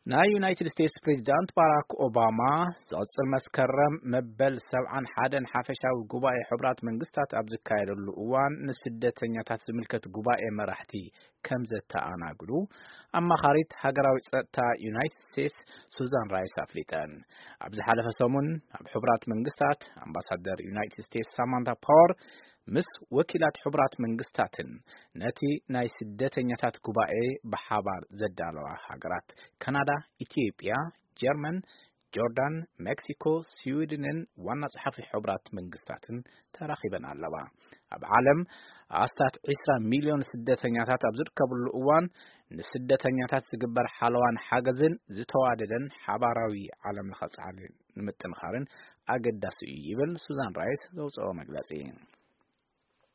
ናይ ዩናይትድ ስቴትስ ፕሬዚዳንት ባራክ ኦባማ ዝቕጽል መስከረም መበል ሰብዓን ሓደን ሓፈሻዊ ጉባኤ ሕቡራት መንግስታት ኣብ ዝካየደሉ እዋን ንስደተኛታት ዝምልከት ጉባኤ መራሕቲ ከም ዘተኣናግዱ ኣማኻሪት ሃገራዊ ጸጥታ ዩናይትድ ስቴትስ ሱዛን ራይስ ኣፍሊጠን። ኣብ ዝሓለፈ ሰሙን ኣብ ሕቡራት መንግስታት ኣምባሳደር ዩናይትድ ስቴትስ ሳማንታ ፓወር ምስ ወኪላት ሕቡራት መንግስታትን ነቲ ናይ ስደተኛታት ጉባኤ ብሓባር ዘዳለዋ ሃገራት ካናዳ፣ ኢትዮጵያ፣ ጀርመን፣ ጆርዳን፣ ሜክሲኮ፣ ስዊድንን ዋና ጸሓፊ ሕቡራት መንግስታትን ተራኺበን ኣለዋ። ኣብ ዓለም ኣስታት ዒስራ ሚልዮን ስደተኛታት ኣብ ዝርከብሉ እዋን፣ ንስደተኛታት ዝግበር ሓለዋን ሓገዝን ዝተዋደደን ሓባራዊ ዓለም ለኸ ጻዕሪ ንምጥንኻርን ኣገዳሲ እዩ ይብል ሱዛን ራይስ ዘውፅኦ መግለጺ።